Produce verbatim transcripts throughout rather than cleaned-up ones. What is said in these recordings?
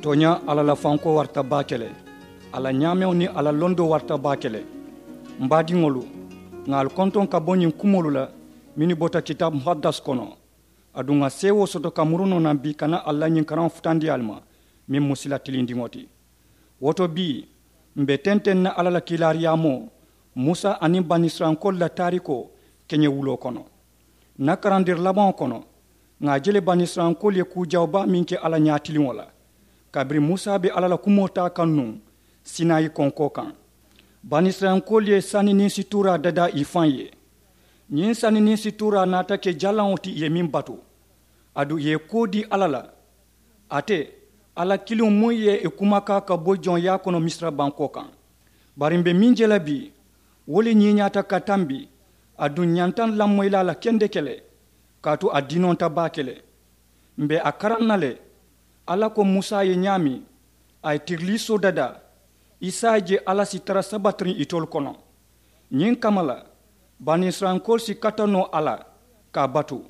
Tooñaa, alla la fankoo warata baake le. A la ñaameŋo niŋ a la londoo warata baake le. M baadiŋolu, ŋà ali kontoŋ ka bo ñiŋ kumoolu la mennu bota kitaabu muhaddas kono. Aduŋ ŋà seewoo soto ka muru noo naŋ bii ka naa alla ñiŋ karaŋo futandi ali ma, meŋ mu sila tilindiŋo ti. Wo to bii, m̀ be tenteŋ na alla la kiilaariyaamoo, musa aniŋ banisirayilankoolu la taarikoo keñewuloo kono. Ǹ na karandiri labaŋo kono, ŋà a je le banisirayilankoolu ye kuu jawoo baa meŋ ke alla ñaatiliŋo la, kabiriŋ musa be alla la kumoo taa kaŋ nuŋ sinayi konkoo kaŋ. Banisirayilankoolu ye sani niŋ situuraa dadaa ì faŋ ye. Ñiŋ sani niŋ situuraa naata ke jalaŋo ti ì ye meŋ batu. Aduŋ ì ye kuwo dii alla la, ate alla kiliŋo muŋ ye ì kumakaa ka bo joŋyaa kono misira bankoo kaŋ. Bari m̀ be meŋ je la bii, wo le ñiiñaata ka tambi. Aduŋ ǹ ñanta ǹ lamoyi la a la kendeke le, kaatu a dinonta baake le. M̀ be a karaŋ na le, alla ko musa ye ñaameŋ a ye tiriliisoo dadaa, i si a je alla si tara sabatiriŋ itolu kono. Ñiŋ kamma la, banisirayilankoolu si kata noo a la ka a batu.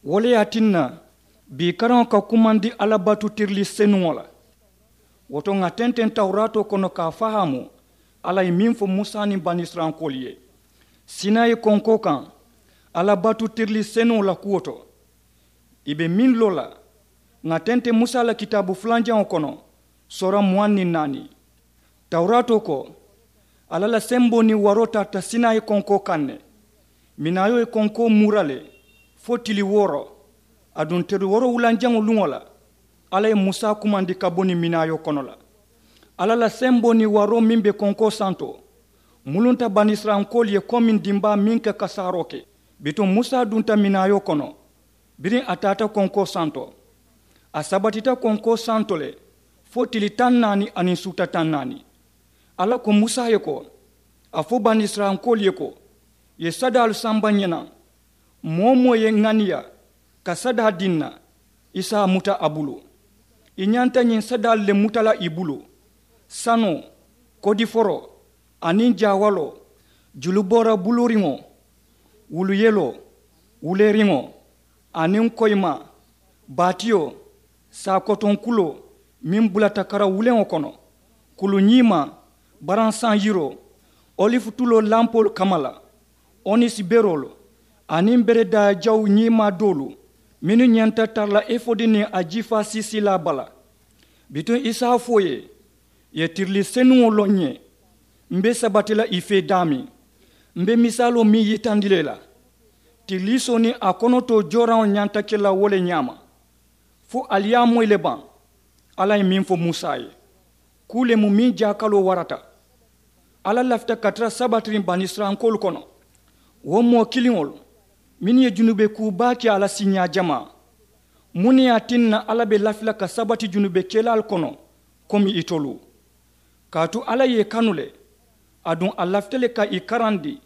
Wo le ye a tinna bii karaŋo ka kumandi alla batu tirilii senuŋo la. Wo to ŋà tenteŋ tawuraatoo kono ka a fahaamu alla ye meŋ fo musa niŋ banisirayilankoolu ye sinayi konkoo kaŋ, alla batu tirilii senuŋo la kuwo to. Ì be meŋ loo la, ŋà tenteŋ musa la kitaabu fulanjaŋo kono, soora muwaŋ niŋ naani. Tawuraatoo ko, alla la semboo niŋ waroo taata sinayi konkoo kaŋ ne. Minaayoo ye konkoo muura le fo tili wooro. Aduŋ tili woorowulanjaŋo luŋo la, alla ye musa kumandi ka bo niŋ minaayoo kono la. Alla la semboo niŋ waroo meŋ be konkoo santo, mulunta banisirayilankoolu ye komiŋ dimbaa meŋ ka kasaaroo ke. Bituŋ musa dunta minaayoo kono, biriŋ a taata konkoo santo, a sabatita konkoo santo le fo tili taŋ naani aniŋ suuta taŋ naani. Alla ko musa ye ko, a fo banisirayilankoolu ye ko, ì ye sadaalu samba ǹ ye naŋ. Moo-wo-moo ye ŋaniya ka sadaa dii ǹ na, i si a muta a bulu. I ñanta ñiŋ sadaalu le muta la ì bulu: sanoo, kodiforoo, aniŋ jaawaloo, juluboora buluuriŋo, wuluyeloo, wuleeriŋo, aniŋ koyimaa, baatiyo, saakotoŋ kuloo meŋ bulata kara wuleŋo kono, kulu ñiimaa, baransaŋ yiroo, olifu tuloo lampoolu kamma la, onisi beroolu, aniŋ beredaa jawu ñiimaa doolu mennu ñanta tara la efodi niŋ a jiifaa siisiilaa bala. Bituŋ i si a fo ì ye, ì ye tirilii senuŋo loŋ ǹ ye. M̀ be sabati la ì fee daameŋ, m̀ be misaaloo meŋ yitandi la i la. Tiriliisoo niŋ a konotoo jooraŋo ñanta ke la wo le ñaama. Fo ali ye a moyi le baŋ? Alla ye meŋ fo musa ye, kuu le mu meŋ jaakaloo warata. Alla lafita ka tara sabatiriŋ banisirayilankoolu kono, wo moo kiliŋolu mennu ye junube kuu baa ke a la siiñaa jamaa. Muŋ ne ye a tinna alla be lafi la ka sabati junube kelaalu kono komi itolu? Kaatu alla ye ì kanu le, aduŋ a lafita le ka ì karandi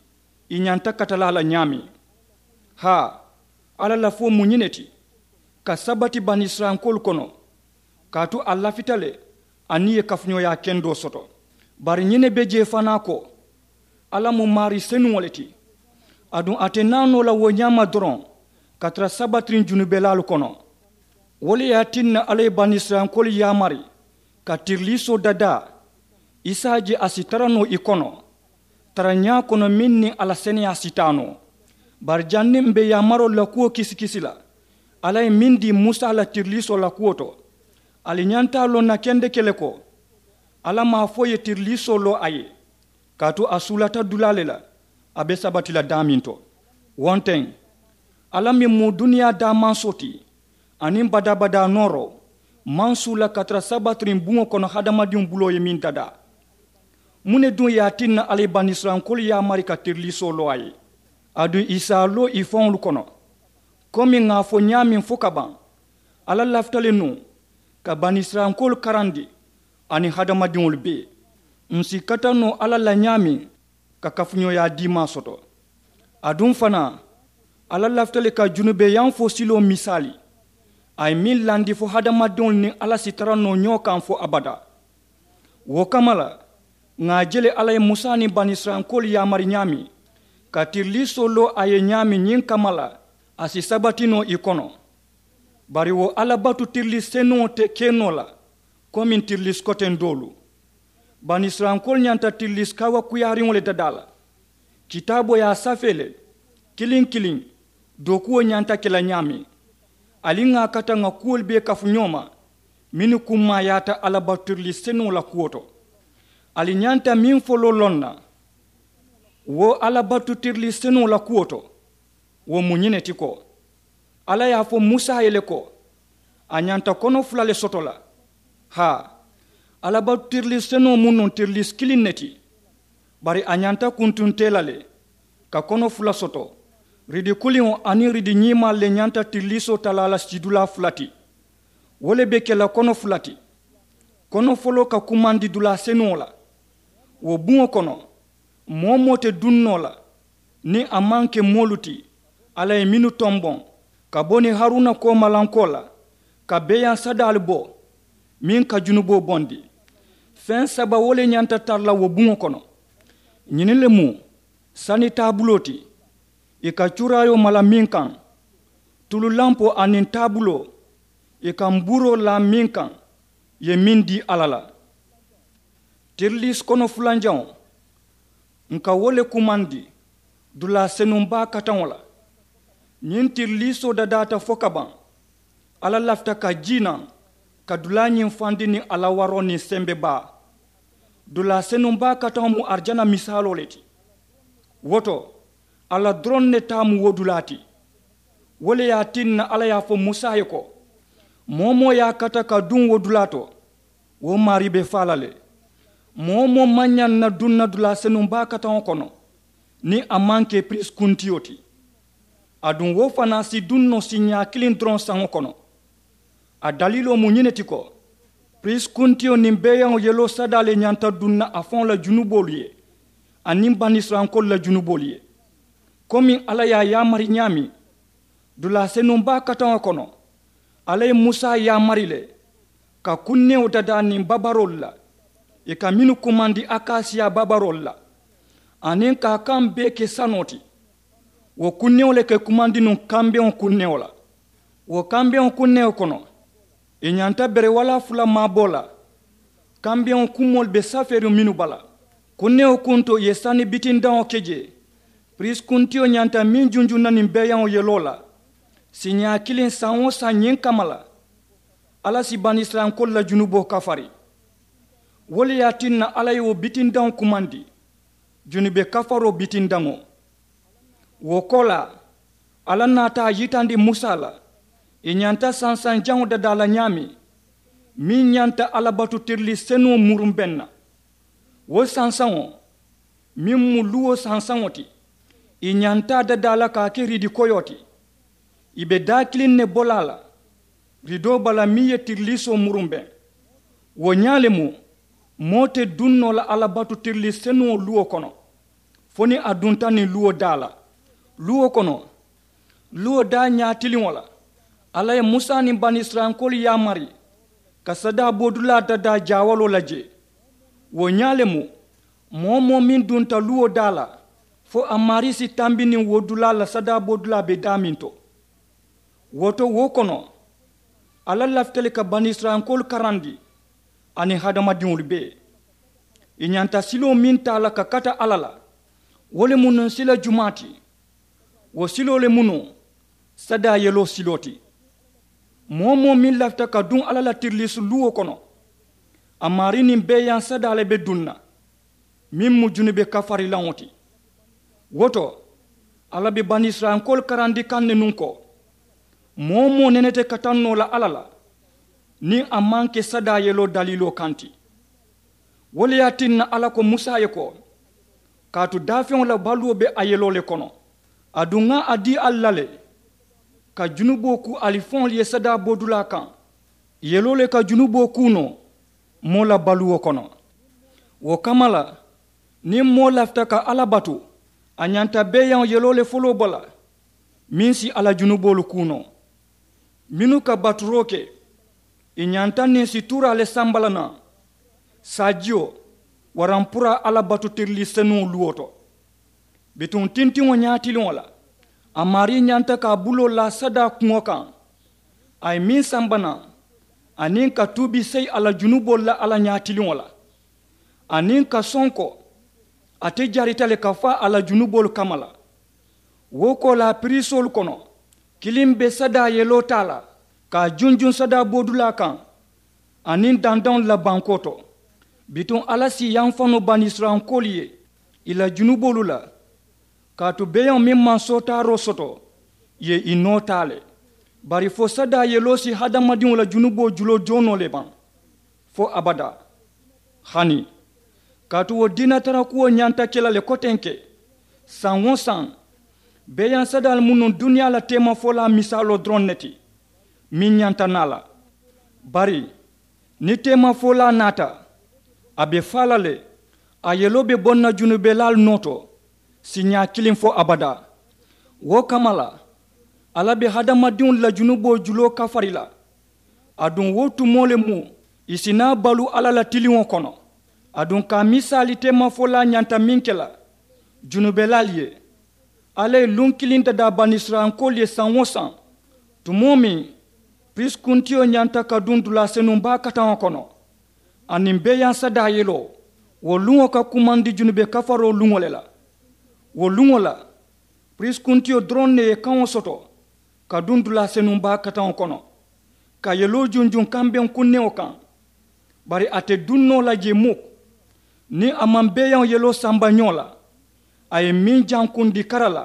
ì ñanta katalaa la ñaameŋ. Haa, alla lafoo mu ñiŋ ne ti, ka sabati banisirayilankoolu kono, kaatu a lafita le aniŋ ì ye kafuñooyaa kendoo soto. Bari ñiŋ ne be jee fanaa ko, alla mu maarii senuŋo le ti, aduŋ a te naa noo la wo ñaama doroŋ ka tara sabatiriŋ junubelaalu kono. Wo le ye a tinna alla ye banisirayilankoolu yaamari ka tiriliisoo dadaa, i si a je a si tara noo ì kono, tarañaa kono meŋ niŋ a la seneyaa si taa noo. Bari janniŋ m̀ be yaamaroolu la kuwo kisikisi la, alla ye meŋ dii musa la tiriliisoo la kuwo to, ali ñanta a loŋ na kendeke le ko, alla maŋ a fo ì ye tiriliisoo loo a ye, kaatu a suulata dulaa le la, a be sabati la daameŋ to. Wo nteŋ, alla meŋ mu duniyaa daamansoo ti, aniŋ badaa-badaa nooroo, maŋ suula ka tara sabatiriŋ buŋo kono hadamadiŋo buloo ye meŋ dadaa. Muŋ ne duŋ ye a tinna alla ye banisirayilankoolu yaamari ka tiriliisoo loo a ye, aduŋ ì si a loo ì faŋolu kono? Komi ŋà a fo ñaameŋ fo ka baŋ, alla lafita le nuŋ ka banisirayilankoolu karandi aniŋ hadamadiŋolu bee. M̀ si kata noo alla la ñaameŋ ka kafuñooyaa diimaa soto. Aduŋ fanaa, alla lafita le ka junubeyanfoo siloo misaali, a ye meŋ landi fo hadamadiŋolu niŋ alla si tara noo ñoo kaŋ fo abadaa. Wo kamma la, ŋà a je le alla ye musa niŋ banisirayilankoolu yaamari ñaameŋ ka tiriliisoo loo a ye ñaameŋ ñiŋ kamma la, a si sabati noo ì kono. Bari wo alla batu tirilii senuŋo te ke noo la komiŋ tirilisi koteŋ doolu. Banisirayilankoolu ñanta tirilisi kawakuyaariŋo le dadaa la. Kitaaboo ye a safee le, kiliŋ kiliŋ dookuwo ñanta ke la ñaameŋ. Ali ŋà a kata ŋà kuwolu bee kafu ñoo ma mennu kummaayaata alabatu tirilisi senuŋo la kuwo to. Ali ñanta meŋ foloo loŋ na, wo alabatu tirilisi senuŋo la kuwo to, wo mu ñiŋ ne ti ko, alla ye a fo musa ye le ko, a ñanta kono fula le soto la. Haa, alabatu tirilisi senuŋo mu nuŋ tirilisi kiliŋ ne ti. Bari a ñanta kuntuntee la le, ka kono fula soto. Ridi kuliŋo aniŋ ridi ñiimaalu le ñanta tirilisoo talaa la sidulaa fula ti. Wo le be ke la kono fula ti. Kono foloo ka kumandi dulaa senuŋo la. Wo buŋo kono, moo-wo-moo te duŋ noo la niŋ a maŋ ke moolu ti alla ye mennu tomboŋ ka bo niŋ haruna koomalankoo la, ka beeyaŋ sadaalu bo meŋ ka junuboo bondi. Feŋ saba wo le ñanta tara la wo buŋo kono. Ñiniŋ le mu sani taabuloo ti, ì ka cuuraayoo mala meŋ kaŋ, tulu lampoo aniŋ taabuloo, ì ka mbuuroo laa meŋ kaŋ, ì ye meŋ dii alla la. Tirilisi kono fulanjaŋo, ǹ ka wo le kumandi dulaa senuŋ baa kataŋo la. Ñiŋ tirilisoo dadaata fo ka baŋ, alla lafita ka jii naŋ ka dulaa ñiŋ fandi niŋ a la waroo niŋ sembe baa. Dulaa senuŋ baa kataŋo mu arijana misaaloo le ti. Wo to, alla doroŋ ne taa mu wo dulaa ti. Wo le ye a tinna alla ye a fo musa ye ko, moo-wo-moo ye a kata ka duŋ wo dulaa to, wo maarii be faa la le. Moo-wo-moo maŋ ñaŋ na duŋ na dulaa senuŋ baa kataŋo kono niŋ a maŋ ke piriisi kuntiyo ti. Aduŋ wo fanaa si duŋ noo siiñaa kiliŋ doroŋ saŋo kono. A daliiloo mu ñiŋ ne ti ko, piriisi kuntiyo niŋ beeyaŋo yeloo sadaa le ñanta duŋ na a faŋo la junuboolu ye aniŋ banisirayilankoolu la junuboolu ye. Komiŋ alla ye a yaamari ñaameŋ, dulaa senuŋ baa kataŋo kono, alla ye musa yaamari le ka kunnewo dadaa niŋ babaroolu la, ì ka mennu kumandi akasiya babaroolu la, aniŋ ka a kaŋ bee ke sanoo ti. Wo kunnewo le ka ì kumandi nuŋ kambeŋo kunnewo la. Wo kambeŋo kunnewo kono, ì ñanta berewalaa fula maaboo la. Kambeŋo kumoolu be safeeriŋ mennu bala, kunnewo kunto ì ye sani bitindaŋo ke jee. Piriisi kuntiyo ñanta meŋ junjuŋ na niŋ beeyaŋo yeloo la, siiñaa kiliŋ saŋ-wo-saŋ ñiŋ kamma la, alla si banisirayilankoolu la junuboo kafari. Wo le ye a tinna alla ye wo bitindaŋo kumandi junube kafaroo bitindaŋo. Wo koolaa, alla naata a yitandi musa la, ì ñanta sansaŋ jaŋo dadaa la ñaameŋ, meŋ ñanta alla batu tirilisi senuŋo murumbeŋ na. Wo sansaŋo, meŋ mu luwo sansaŋo ti, ì ñanta a dadaa la ka a ke riidi koyoo ti. Ì be daa kiliŋ ne bo la a la, riidoo bala meŋ ye tirilisoo murumbeŋ. Wo ñaa le mu, moo te duŋ noo la alla batu tirilisi senuŋo luwo kono fo niŋ a dunta niŋ luwo daa la. Luwo kono, luwo daa ñaatiliŋo la, alla ye musa niŋ banisirayilankoolu yaamari ka sadaa boodulaa dadaa jaawaloo la jee. Wo ñaa le mu, moo-wo-moo meŋ dunta luwo daa la, fo a maarii si tambi niŋ wo dulaa la sadaa boodulaa be daameŋ to. Wo to wo kono, alla lafita le ka banisirayilankoolu karandi aniŋ hadamadiŋolu bee. Ì ñanta siloo meŋ taa la ka kata alla la, wo le mu nuŋ sila jumaa ti. Wo siloo le mu nuŋ sadaa yeloo siloo ti. Moo-wo-moo meŋ lafita ka duŋ alla la tirilisi luwo kono, a maarii niŋ beeyaŋ sadaa le be duŋ na, meŋ mu junube kafarilaŋo ti. Wo to, alla be banisirayilankoolu karandi kaŋ ne nuŋ ko, moo-wo-moo nene te kataŋ noo la alla la niŋ a maŋ ke sadaa yeloo daliiloo kaŋ ti. Wo le ye a tinna alla ko musa ye ko, kaatu daafeŋo la baluwo be a yeloo le kono. Aduŋ ŋa a dii ali la le, ka junuboo kuu ali faŋolu ye sadaa boodulaa kaŋ. Yeloo le ka junuboo kuu noo moo la baluwo kono. Wo kamma la, niŋ moo lafita ka alla batu, a ñanta beeyaŋo yeloo le foloo bo la, meŋ si a la junuboolu kuu noo. Mennu ka baturoo ke, ì ñanta niŋ si tuuraa le samba la naŋ saajiyo waraŋ pura alla batu tirilisi senuŋo luwo to. Bituŋ tintiŋo ñaatiliŋo la, a maarii ñanta ka a buloo laa sadaa kuŋo kaŋ. A ye meŋ samba naŋ, aniŋ ka tuubi seyi a la junuboolu la alla ñaatiliŋo la, aniŋ ka sonko ate jarita le ka faa a la junuboolu kamma la. Wo koolaa piriisoolu kono, kiliŋ be sadaa yeloo taa la ka a junjuŋ sadaa boodulaa kaŋ aniŋ dandaŋolu la bankoo to. Bituŋ alla si yamfa noo banisirayilankoolu ye ì la junuboolu la, kaatu beeyaŋo meŋ maŋ sootaaroo soto ì ye ì noo taa le. Bari fo sadaa yeloo si hadamadiŋo la junuboo juloo joonoo le baŋ fo abadaa. Hani kaatu wo diinatara kuwo ñanta ke la le kotenke, saŋ-wo-saŋ beeyaŋ sadaalu mu nuŋ duniyaa la teemafolaa misaaloo doroŋ ne ti meŋ ñanta naa la. Bari niŋ teemafolaa naata, a be faa la le. A yeloo be boŋ na junubelaalu noo to siiñaa kiliŋ fo abadaa. Wo kamma la, alla be hadamadiŋolu la junuboo juloo kafari la. Aduŋ wo tumoo le mu ì si naa baluu alla la tiliŋo kono. Aduŋ ka a misaali teemafolaa ñanta meŋ ke la junubelaalu ye, alla ye luŋ kiliŋ dadaa banisirayilankoolu ye saŋ-wo-saŋ tumoo meŋ piriisi kuntiyo ñanta ka duŋ dulaa senuŋ baa kataŋo kono, aniŋ beeyaŋ sadaa yeloo wo luŋo ka kumandi junube kafaroo luŋo le la. Wo luŋo la piriisi kuntiyo doroŋ ne ye kaŋo soto ka duŋ dulaa senuŋ baa kataŋo kono, ka yeloo junjuŋ kambeŋ kunneŋo kaŋ. Bari a te duŋ noo la jee muk niŋ a maŋ beeyaŋo yeloo samba ñoo la. A ye meŋ jankundi kara la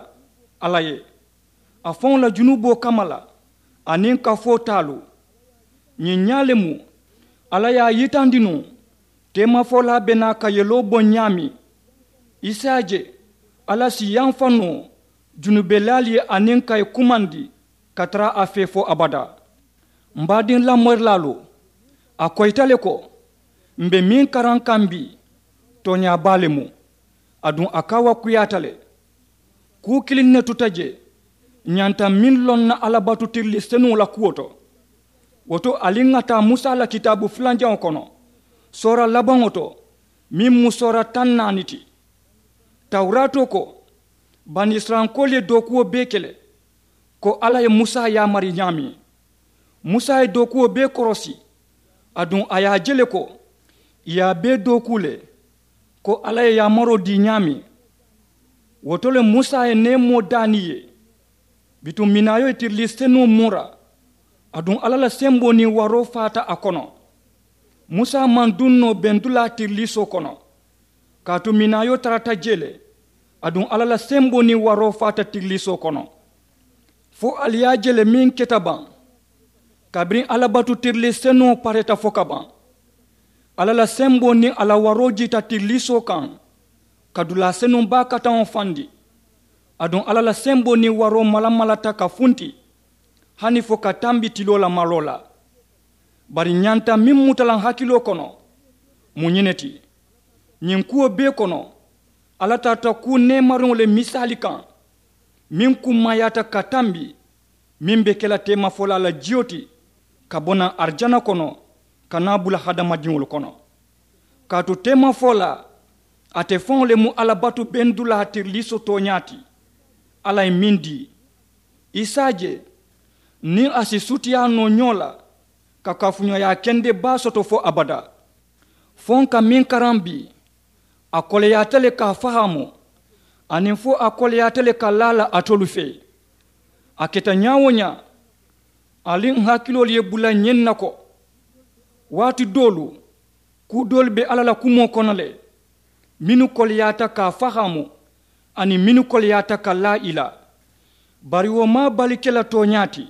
alla ye, a faŋo la junuboo kamma la aniŋ kafoo taalu. Ñiŋ ñaa le mu alla ye a yitandi nuŋ, teemafolaa be naa ka yeloo boŋ ñaameŋ. I si a je alla si yamfa noo junubelaalu ye aniŋ ka ì kumandi ka tara a fee fo abadaa. M baadiŋ lamorilaalu, a koyita le ko m be meŋ karaŋ kaŋ bii tooñaa baa le mu. Aduŋ a kaawakuyaata le. Kuu kiliŋ ne tuta jee ñanta meŋ loŋ na alla batu tirilii senuŋo la kuwo to. Wo to ali ŋa taa musa la kitaabu fulanjaŋo kono, soora labaŋo to meŋ mu soora taŋ naani ti. Tawuraatoo ko banisirayilankoolu ye dookuwo bee ke le ko alla ye musa yaamari ñaameŋ. Musa ye dookuwo bee korosi, aduŋ a ye a je le ko ì ye a bee dookuu le ko alla ye yaamaroo dii ñaameŋ. Wo to le musa ye neemoo daani ì ye. Bituŋ minaayo ye tirilii senuŋo muura, aduŋ alla la semboo niŋ waroo faata a kono. Musa maŋ duŋ noo bendulaa tiriliisoo kono, kaatu minaayo tarata jee le. Aduŋ alla la semboo niŋ waroo faata tirilii soo kono. Fo ali ye a je le meŋ keta baŋ, kabiriŋ alla batu tirilii senuŋo pareta fo ka baŋ. Alla la semboo niŋ a la waroo jiita tirilii soo kaŋ, ka dulaa senuŋ baa kataŋo fandi. Aduŋ alla la semboo niŋ waroo malamalata ka funti hani fo ka tambi tiloo la maloo la. Bari ñanta meŋ muta la n hakiloo kono mu ñiŋ ne ti, ñiŋ kuwo bee kono alla tarata kuu neemariŋo le misaali kaŋ, meŋ kummaayaata ka tambi meŋ be ke la teemafolaa la jiyo ti ka bo naŋ arijana kono ka naa bula hadamadiŋolu kono. Kaatu teemafolaa ate faŋo le mu alla batu bendulaa tiriliiso tooñaa ti. Alla ye meŋ dii i si a je niŋ a si sutiyaa noo ñoo la ka kafuñooyaa kende baa soto fo abadaa. Fo n ka meŋ karaŋ bii a koleyaata le ka a fahaamu, aniŋ fo a koleyaata le ka laa la alitolu fee. A keta ñaa-wo-ñaa ali n hakiloolu ye bula ñiŋ na ko waati doolu kuu doolu be alla la kumoo kono le mennu koleyaata ka a fahaamu, aniŋ mennu koleyaata ka laa ì la. Bari wo maŋ a bali ke la tooñaa ti.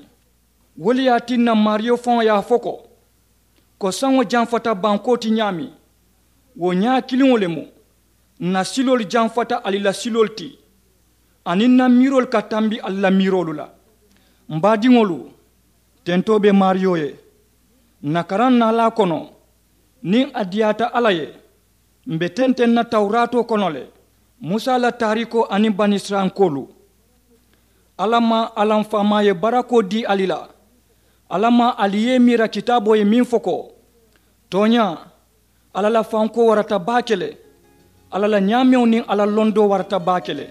Wo le ye a tinna maariyo faŋo ye a fo ko, ko saŋo jamfata bankoo ti ñaameŋ, wo ñaa kiliŋo le mu. Ǹ na siloolu jamfata ali la siloolu ti, aniŋ ǹ na miiroolu ka tambi ali la miiroolu la. M baadiŋolu, tentoo be maariyo ye. Ǹ na karaŋ naalaa kono, niŋ a diyaata alla ye, m̀ be tenteŋ na tawuraatoo kono le. Musa la taariikoo aniŋ banisirayilankoolu. Alla maŋ a la m faamaa ye barakoo dii ali la. Alla maŋ ali ye i miira kitaaboo ye meŋ fo ko, tooñaa, alla la fankoo warata baake le. Alla la ñaameŋo niŋ a la londoo warata baake le.